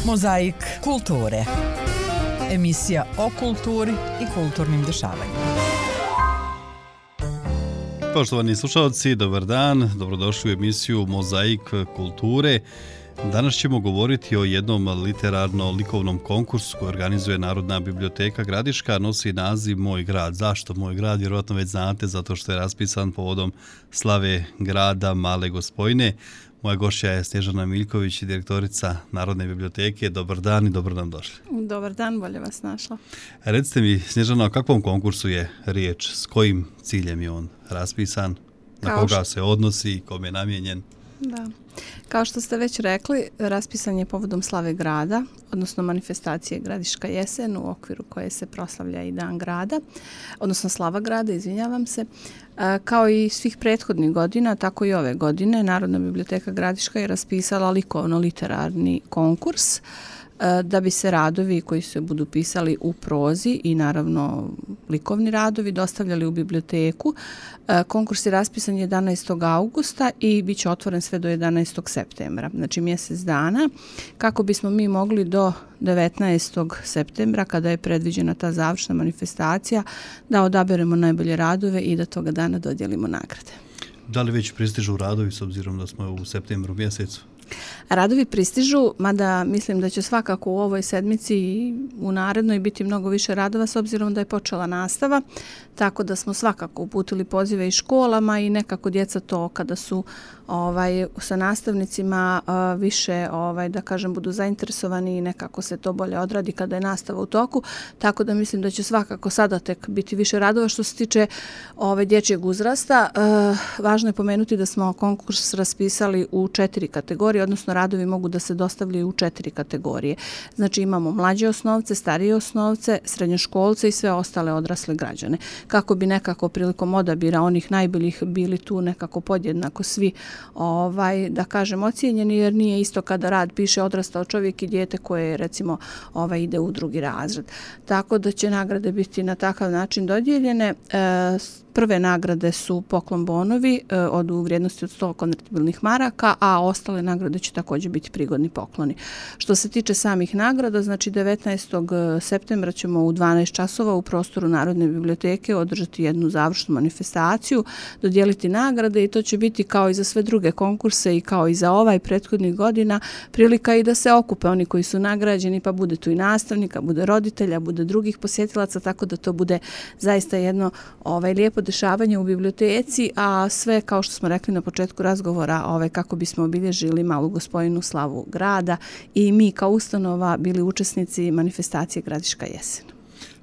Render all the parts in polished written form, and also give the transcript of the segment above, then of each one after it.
Mozaik kulture. Emisija o kulturi i kulturnim dešavanjima. Poštovani slušalci, dobar dan, dobrodošli u emisiju Mozaik kulture. Danas ćemo govoriti o jednom literarno-likovnom konkursu koji organizuje Narodna biblioteka Gradiška, nosi naziv Moj grad. Zašto Moj grad? Vjerojatno već znate, zato što je raspisan povodom slave grada Male Gospojine. Moja gošća je Snježana Miljković, direktorica Narodne biblioteke. Dobar dan i dobro nam došli. Dobar dan, bolje vas našla. Recite mi, Snježana, o kakvom konkursu je riječ? S kojim ciljem je on raspisan? Na koga se odnosi i kome je namijenjen? Da. Kao što ste već rekli, raspisan je povodom slave grada, odnosno manifestacije Gradiška jesen, u okviru koje se proslavlja i Dan grada, odnosno slava grada, izvinjavam se. Kao i svih prethodnih godina, tako i ove godine, Narodna biblioteka Gradiška je raspisala likovno-literarni konkurs da bi se radovi koji se budu pisali u prozi i naravno likovni radovi dostavljali u biblioteku. Konkurs je raspisan 11. augusta i bit će otvoren sve do 11. septembra, znači mjesec dana, kako bismo mi mogli do 19. septembra, kada je predviđena ta završna manifestacija, da odaberemo najbolje radove i da toga dana dodijelimo nagrade. Da li već pristižu radovi s obzirom da smo u septembru mjesecu? Radovi pristižu, mada mislim da će svakako u ovoj sedmici i u narednoj biti mnogo više radova s obzirom da je počela nastava, tako da smo svakako uputili pozive i školama i nekako djeca to kada su sa nastavnicima više da kažem budu zainteresovani i nekako se to bolje odradi kada je nastava u toku, tako da mislim da će svakako sada tek biti više radova. Što se tiče dječjeg uzrasta, važno je pomenuti da smo konkurs raspisali u 4 kategorije, odnosno radovi mogu da se dostavljaju u 4 kategorije. Znači imamo mlađe osnovce, starije osnovce, srednjoškolce i sve ostale odrasle građane. Kako bi nekako prilikom odabira onih najboljih bili tu nekako podjednako svi da kažem ocijenjeni, jer nije isto kada rad piše odrastao čovjek i dijete koje recimo ide u 2. razred. Tako da će nagrade biti na takav način dodijeljene. Prve nagrade su poklon bonovi u vrijednosti od 100 konvertibilnih maraka, a ostale nagrade će također biti prigodni pokloni. Što se tiče samih nagrada, znači 19. septembra ćemo u 12 časova u prostoru Narodne biblioteke održati jednu završnu manifestaciju, dodijeliti nagrade i to će biti kao i za sve druge konkurse i kao i za ovaj prethodnih godina prilika i da se okupe oni koji su nagrađeni, pa bude tu i nastavnika, bude roditelja, bude drugih posjetilaca, tako da to bude zaista jedno lijepo dešavanje u biblioteci, a sve kao što smo rekli na početku razgovora, kako bismo obilježili Malu Gospojinu, slavu grada i mi kao ustanova bili učesnici manifestacije Gradiška jesen.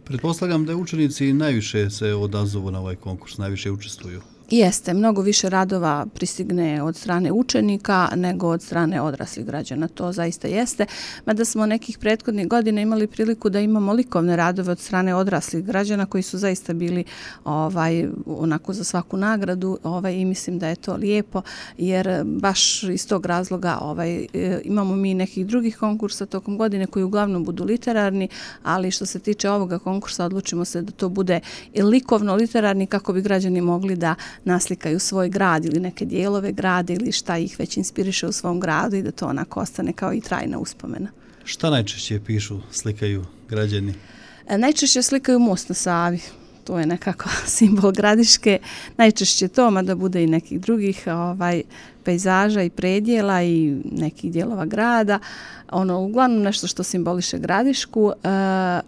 Pretpostavljam da učenici najviše se odazovu na ovaj konkurs, najviše učestvuju. Jeste, mnogo više radova pristigne od strane učenika nego od strane odraslih građana, to zaista jeste. Mada smo nekih prethodnih godina imali priliku da imamo likovne radove od strane odraslih građana koji su zaista bili onako za svaku nagradu i mislim da je to lijepo, jer baš iz tog razloga imamo mi nekih drugih konkursa tokom godine koji uglavnom budu literarni, ali što se tiče ovoga konkursa odlučimo se da to bude i likovno-literarni kako bi građani mogli da naslikaju svoj grad ili neke dijelove grada ili šta ih već inspiriše u svom gradu i da to onako ostane kao i trajna uspomena. Šta najčešće pišu, slikaju građani? Najčešće slikaju most na Savi. To je nekako simbol Gradiške. Najčešće to, mada bude i nekih drugih pejzaža i predjela i nekih dijelova grada. Uglavnom nešto što simboliše Gradišku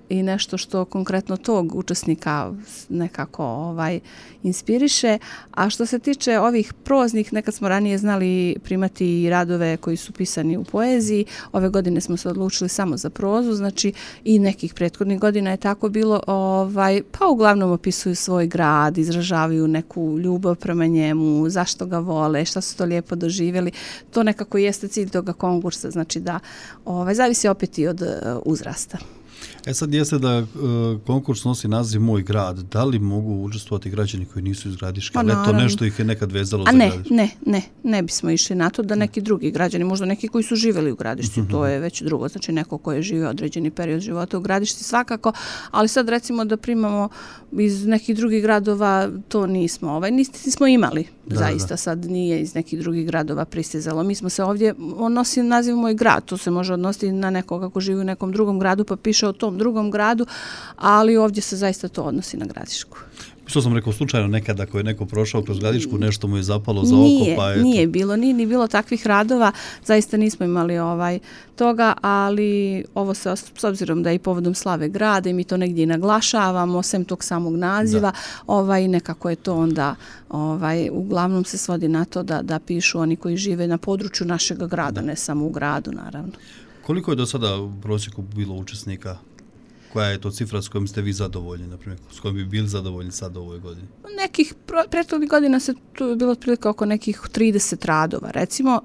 i nešto što konkretno tog učesnika nekako inspiriše. A što se tiče ovih proznih, nekad smo ranije znali primati i radove koji su pisani u poeziji. Ove godine smo se odlučili samo za prozu, znači i nekih prethodnih godina je tako bilo, pa uglavnom opisuju svoj grad, izražavaju neku ljubav prema njemu, zašto ga vole, šta su to lijepo doživjeli. To nekako jeste cilj toga konkursa, znači da zavisi opet i od uzrasta. Sad jeste da konkurs nosi naziv Moj grad. Da li mogu učestvovati građani koji nisu iz Gradiške? Ali to nešto ih je nekad vezalo za Gradišku? Ne bismo išli na to da neki drugi građani, možda neki koji su živjeli u Gradišci, to je već drugo, znači neko ko je živio određeni period života u Gradišci svakako, ali sad recimo da primamo iz nekih drugih gradova, to nismo, nismo imali, zaista sad nije iz nekih drugih gradova pristizalo. Mi smo se ovdje, on nosi naziv Moj grad, to se može odnositi na nekoga ko živi u nekom drugom gradu pa piše o tom drugom gradu, ali ovdje se zaista to odnosi na Gradišku. Što sam rekao, slučajno nekada ako je neko prošao kroz Gradišku, nešto mu je zapalo za oko, pa je... Nije bilo takvih radova, zaista nismo imali toga, ali ovo se, s obzirom da je i povodom slave grada i mi to negdje i naglašavamo, sem tog samog naziva, nekako je to onda, uglavnom se svodi na to da pišu oni koji žive na području našeg grada, ne samo u gradu, naravno. Koliko je do sada u prosjeku bilo učesnika? Koja je to cifra s kojom ste vi zadovoljni, na primjer, s kojom bi bili zadovoljni sad u ovoj godini? Nekih prethodnih godina se tu je bilo otprilike oko nekih 30 radova. Recimo,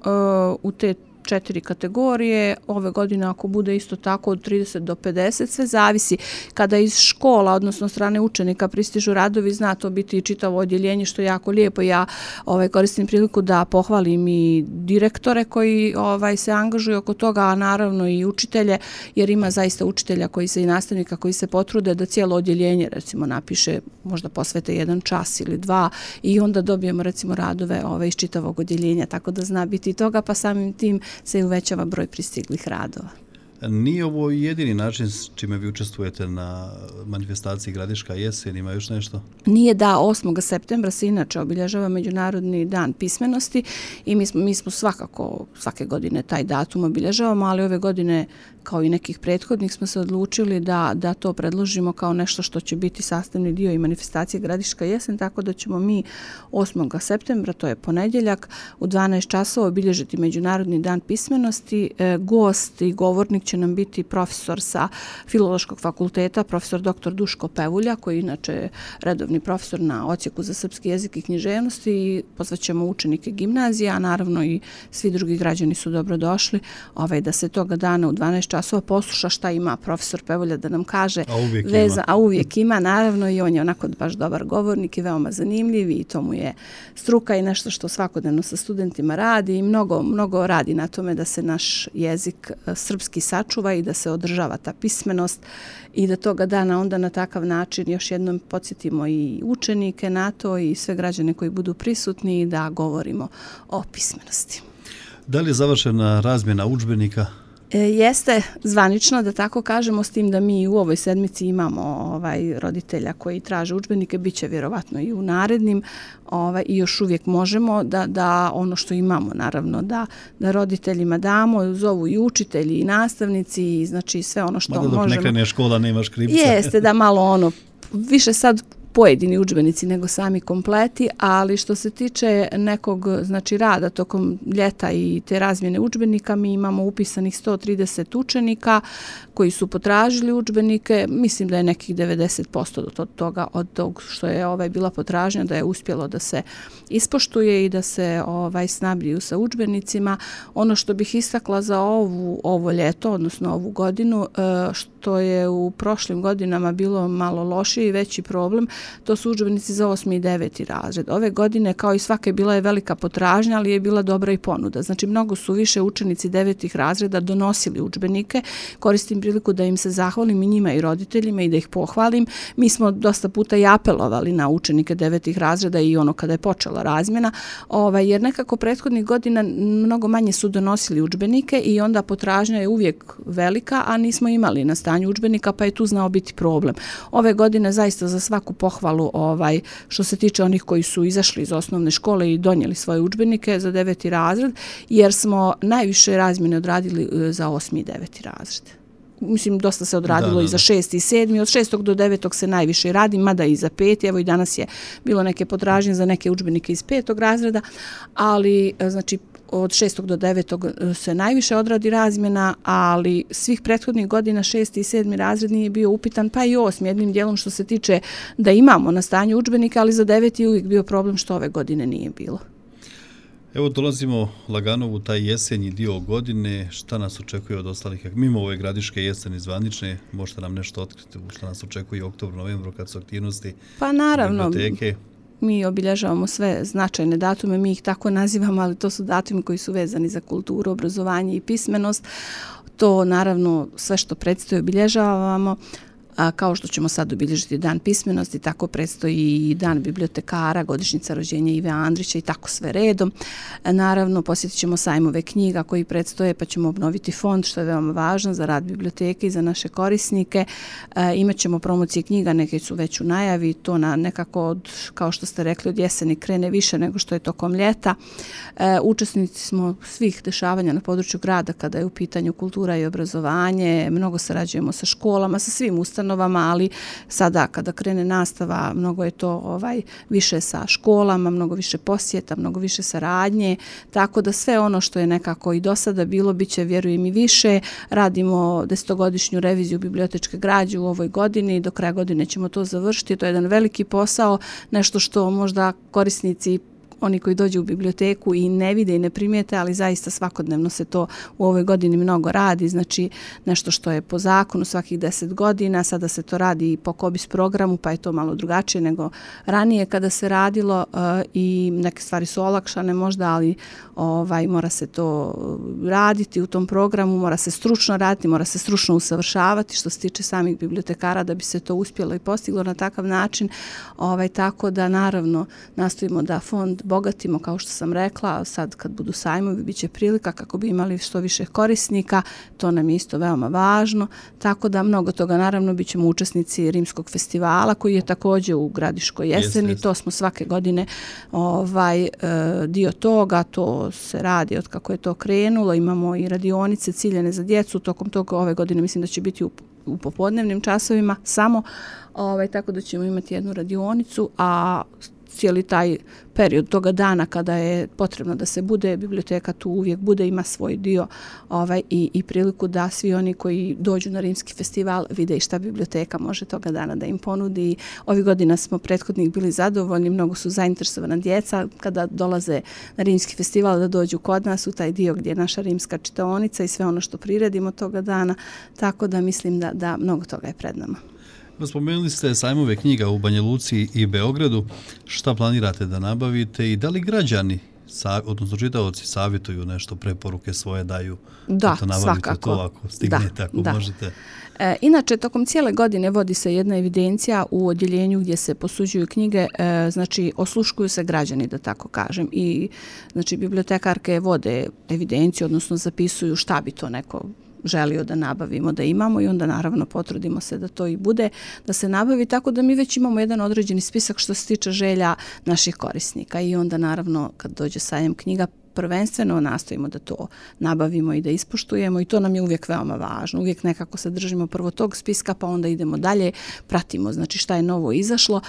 u te 4 kategorije, ove godine ako bude isto tako od 30 do 50, sve zavisi kada iz škola, odnosno strane učenika pristižu radovi, zna to biti i čitavo odjeljenje, što je jako lijepo. Ja koristim priliku da pohvalim i direktore koji se angažuju oko toga, a naravno i učitelje, jer ima zaista učitelja koji se i nastavnika koji se potrude da cijelo odjeljenje recimo napiše, možda posvete 1 čas ili 2 i onda dobijemo recimo radove iz čitavog odjeljenja, tako da zna biti toga, pa samim tim se uvećava broj pristiglih radova. Nije ovo jedini način s čime vi učestvujete na manifestaciji Gradiška jesen, ima još nešto? Nije, da, 8. septembra se inače obilježava Međunarodni dan pismenosti i mi smo svakako svake godine taj datum obilježavamo, ali ove godine kao i nekih prethodnih smo se odlučili da to predložimo kao nešto što će biti sastavni dio i manifestacije Gradiška jesen, tako da ćemo mi 8. septembra, to je ponedjeljak, u 12 časova obilježiti Međunarodni dan pismenosti. Gost i govornik će nam biti profesor sa Filološkog fakulteta, profesor dr. Duško Pevulja, koji inače je redovni profesor na odsjeku za srpski jezik i književnost, i pozvaćemo učenike gimnazije, a naravno i svi drugi građani su dobrodošli da se toga dana u 12 časova posluša šta ima profesor Pevulja da nam kaže. A uvijek ima, naravno, i on je onako baš dobar govornik i veoma zanimljiv i to mu je struka i nešto što svakodnevno sa studentima radi i mnogo radi na tome da se naš jezik srpski sačuva i da se održava ta pismenost i da toga dana onda na takav način još jednom podsjetimo i učenike na to i sve građane koji budu prisutni da govorimo o pismenosti. Da li je završena razmjena udžbenika? Jeste zvanično, da tako kažemo, s tim da mi u ovoj sedmici imamo roditelja koji traže udžbenike, bit će vjerovatno i u narednim i još uvijek možemo da ono što imamo, naravno, da roditeljima damo, zovu i učitelji i nastavnici i znači sve ono što možemo. Dok ne krene škola nema škripca. Jeste, da malo više sad pojedini udžbenici nego sami kompleti, ali što se tiče nekog rada tokom ljeta i te razmjene udžbenika, mi imamo upisanih 130 učenika koji su potražili udžbenike. Mislim da je nekih 90% toga od tog što je bila potražnja da je uspjelo da se ispoštuje i da se snabdiju sa udžbenicima. Ono što bih istakla za ovo ljeto, odnosno ovu godinu, što je u prošlim godinama bilo malo lošiji i veći problem, to su udžbenici za 8. i 9. razred. Ove godine, kao i svake, bila je velika potražnja, ali je bila dobra i ponuda. Znači, mnogo su više učenici 9. razreda donosili udžbenike. Koristim priliku da im se zahvalim i njima i roditeljima i da ih pohvalim. Mi smo dosta puta i apelovali na učenike 9. razreda i kada je počela razmjena, jer nekako prethodnih godina mnogo manje su donosili udžbenike i onda potražnja je uvijek velika, a nismo imali na stanju udžbenika, pa je tu znao biti problem. Ove godine zaista za svaku pohvalu što se tiče onih koji su izašli iz osnovne škole i donijeli svoje udžbenike za 9. razred, jer smo najviše razmjene odradili za 8. i 9. razred. Mislim, dosta se odradilo i za 6. i 7. Od 6. do 9. se najviše radi, mada i za 5. Evo i danas je bilo neke potražnje za neke udžbenike iz 5. razreda, ali znači od 6. do 9. se najviše odradi razmjena, ali svih prethodnih godina 6. i 7. razred nije bio upitan, pa i 8. jednim dijelom što se tiče da imamo na stanju udžbenika, ali za 9. je uvijek bio problem što ove godine nije bilo. Evo dolazimo lagano u taj jesenji dio godine. Šta nas očekuje od ostalih? Mimo ove gradiške jeseni zvanične, možete nam nešto otkriti šta nas očekuje u oktobru, novembru kad su aktivnosti biblioteke? Mi obilježavamo sve značajne datume, mi ih tako nazivamo, ali to su datumi koji su vezani za kulturu, obrazovanje i pismenost. To naravno sve što predstoji obilježavamo. Kao što ćemo sad obilježiti dan pismenosti, tako predstoji i dan bibliotekara, godišnjica rođenja Ive Andrića i tako sve redom. Naravno, posjetit ćemo sajmove knjiga koji predstoje, pa ćemo obnoviti fond, što je veoma važno za rad biblioteke i za naše korisnike. Imaćemo promocije knjiga, neke su već u najavi, to nekako, kao što ste rekli, od jeseni krene više nego što je tokom ljeta. Učesnici smo svih dešavanja na području grada kada je u pitanju kultura i obrazovanje, mnogo sarađujemo sa školama, sa svim ustanovama, ali sada kada krene nastava, mnogo je to više sa školama, mnogo više posjeta, mnogo više saradnje, tako da sve ono što je nekako i do sada bilo, bit će, vjerujem, i više. Radimo 10-godišnju reviziju bibliotečke građe u ovoj godini, do kraja godine ćemo to završiti. To je jedan veliki posao, nešto što možda korisnici, oni koji dođu u biblioteku i ne vide i ne primijete, ali zaista svakodnevno se to u ovoj godini mnogo radi, znači nešto što je po zakonu svakih 10 godina, sada se to radi i po KOBIS programu, pa je to malo drugačije nego ranije kada se radilo i neke stvari su olakšane možda, ali mora se to raditi u tom programu, mora se stručno raditi, mora se stručno usavršavati što se tiče samih bibliotekara da bi se to uspjelo i postiglo na takav način, tako da naravno nastojimo da fond bogatimo, kao što sam rekla, sad kad budu sajmovi bit će prilika kako bi imali što više korisnika, to nam je isto veoma važno, tako da mnogo toga, naravno bit ćemo učesnici Rimskog festivala koji je također u Gradiškoj jeseni, to smo svake godine dio toga, to se radi od kako je to krenulo, imamo i radionice ciljene za djecu, tokom toga ove godine mislim da će biti u popodnevnim časovima samo, tako da ćemo imati jednu radionicu, a cijeli taj period toga dana kada je potrebno da se bude, biblioteka tu uvijek bude, ima svoj dio i priliku da svi oni koji dođu na Rimski festival vide i šta biblioteka može toga dana da im ponudi. Ovih godina smo prethodnih bili zadovoljni, mnogo su zainteresovana djeca kada dolaze na Rimski festival da dođu kod nas u taj dio gdje je naša rimska čitaonica i sve ono što priredimo toga dana, tako da mislim da mnogo toga je pred nama. Spomenuli ste sajmove knjiga u Banja Luci i Beogradu. Šta planirate da nabavite i da li građani, odnosno čitaoci, savjetuju nešto, preporuke svoje daju? Da, svakako. To ako stignete, ako možete. Inače, tokom cijele godine vodi se jedna evidencija u odjeljenju gdje se posuđuju knjige, znači osluškuju se građani, da tako kažem. I znači bibliotekarke vode evidenciju, odnosno zapisuju šta bi to neko želio da nabavimo, da imamo i onda naravno potrudimo se da to i bude, da se nabavi, tako da mi već imamo jedan određeni spisak što se tiče želja naših korisnika i onda naravno kad dođe sajam knjiga prvenstveno nastojimo da to nabavimo i da ispoštujemo i to nam je uvijek veoma važno. Uvijek nekako se držimo prvo tog spiska pa onda idemo dalje, pratimo znači šta je novo izašlo.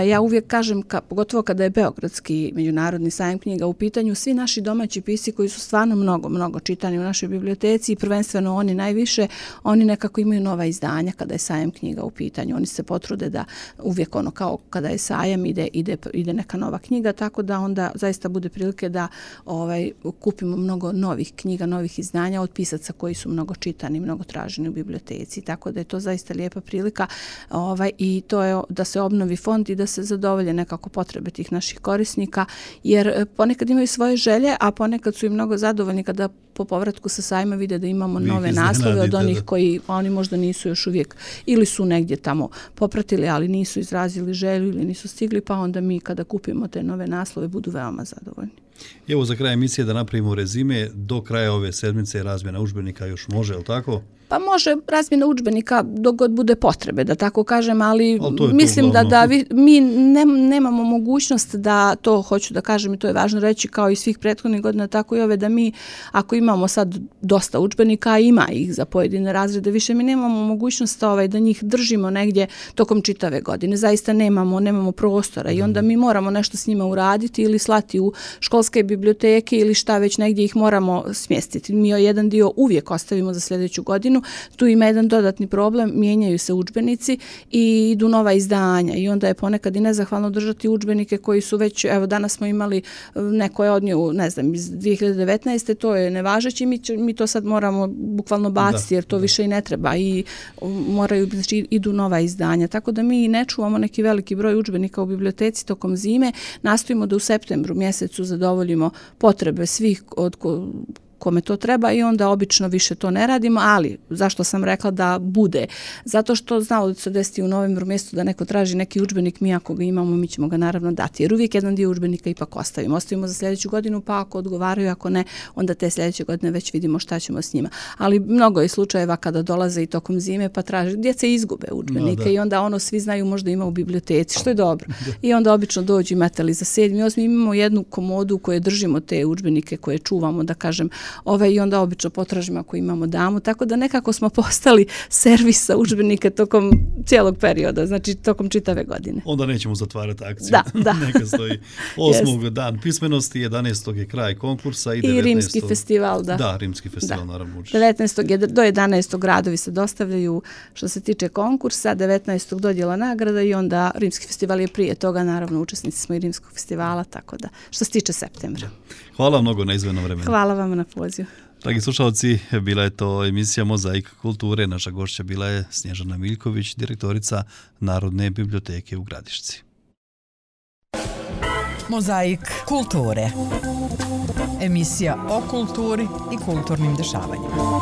Ja uvijek kažem, pogotovo kada je Beogradski međunarodni sajam knjiga u pitanju, svi naši domaći pisci koji su stvarno mnogo čitani u našoj biblioteci i prvenstveno oni najviše, oni nekako imaju nova izdanja kada je sajam knjiga u pitanju. Oni se potrude da uvijek ono kao kada je sajam ide neka nova knjiga, tako da onda zaista bude prilike da kupimo mnogo novih knjiga, novih izdanja od pisaca koji su mnogo čitani, mnogo traženi u biblioteci. Tako da je to zaista lijepa prilika i to je da se obnovi fond i da se zadovolje nekako potrebe tih naših korisnika, jer ponekad imaju svoje želje, a ponekad su i mnogo zadovoljni kada po povratku sa sajma vide da imamo nove naslove od onih koji oni možda nisu još uvijek ili su negdje tamo popratili, ali nisu izrazili želju ili nisu stigli, pa onda mi kada kupimo te nove naslove budu veoma zadovoljni. Evo za kraj emisije da napravimo rezime, do kraja ove sedmice razmjena udžbenika još može, je li tako? Pa može razmjena udžbenika dok god bude potrebe, da tako kažem, ali mislim da mi nemamo mogućnost da to, hoću da kažem i to je važno reći kao i svih prethodnih godina, tako i ove, da mi ako imamo sad dosta udžbenika, ima ih za pojedine razrede, više mi nemamo mogućnost da njih držimo negdje tokom čitave godine. Zaista nemamo prostora i onda mi moramo nešto s njima uraditi ili slati u školske gradske biblioteke ili šta već negdje ih moramo smjestiti. Mi jedan dio uvijek ostavimo za sljedeću godinu. Tu ima jedan dodatni problem, mijenjaju se udžbenici i idu nova izdanja i onda je ponekad i nezahvalno držati udžbenike koji su već, evo danas smo imali, neko je odnio, ne znam, iz 2019. to je nevažeći, mi to sad moramo bukvalno baciti jer to više i ne treba i moraju, znači idu nova izdanja. Tako da mi ne čuvamo neki veliki broj udžbenika u biblioteci tokom zime, nastojimo da u septembru mjesecu zadovoljimo potrebe svih od kome to treba i onda obično više to ne radimo, ali zašto sam rekla da bude? Zato što znalo da se desiti u novembru mjestu da neko traži neki udžbenik, mi ako ga imamo, mi ćemo ga naravno dati, jer uvijek jedan dio udžbenika ipak ostavimo. Ostavimo za sljedeću godinu, pa ako odgovaraju, ako ne, onda te sljedeće godine već vidimo šta ćemo s njima. Ali mnogo je slučajeva kada dolaze i tokom zime pa traže, djeca izgube udžbenike i onda svi znaju možda ima u biblioteci, što je dobro. I onda obično dođu imate li za 7. i 8. imamo jednu komodu koje držimo te udžbenike koje čuvamo, da kažem, i onda obično potražimo ako imamo damu, tako da nekako smo postali servis za udžbenike tokom cijelog perioda, znači tokom čitave godine. Onda nećemo zatvarati akciju. Da. Neka stoji 8. dan pismenosti, 11. je kraj konkursa i 19. I Rimski festival, da. Da, Rimski festival, naravno. 19. do 11. radovi se dostavljaju što se tiče konkursa, 19. dodjela nagrada i onda Rimski festival je prije toga, naravno učesnici smo i Rimskog festivala, tako da što se tiče septembra. Hvala mnogo na izdvojenom vremenu. Hvala vam na pozivu. Dragi slušalci, bila je to emisija Mozaik kulture. Naša gošća bila je Snježana Miljković, direktorica Narodne biblioteke u Gradišci. Mozaik kulture. Emisija o kulturi i kulturnim dešavanjima.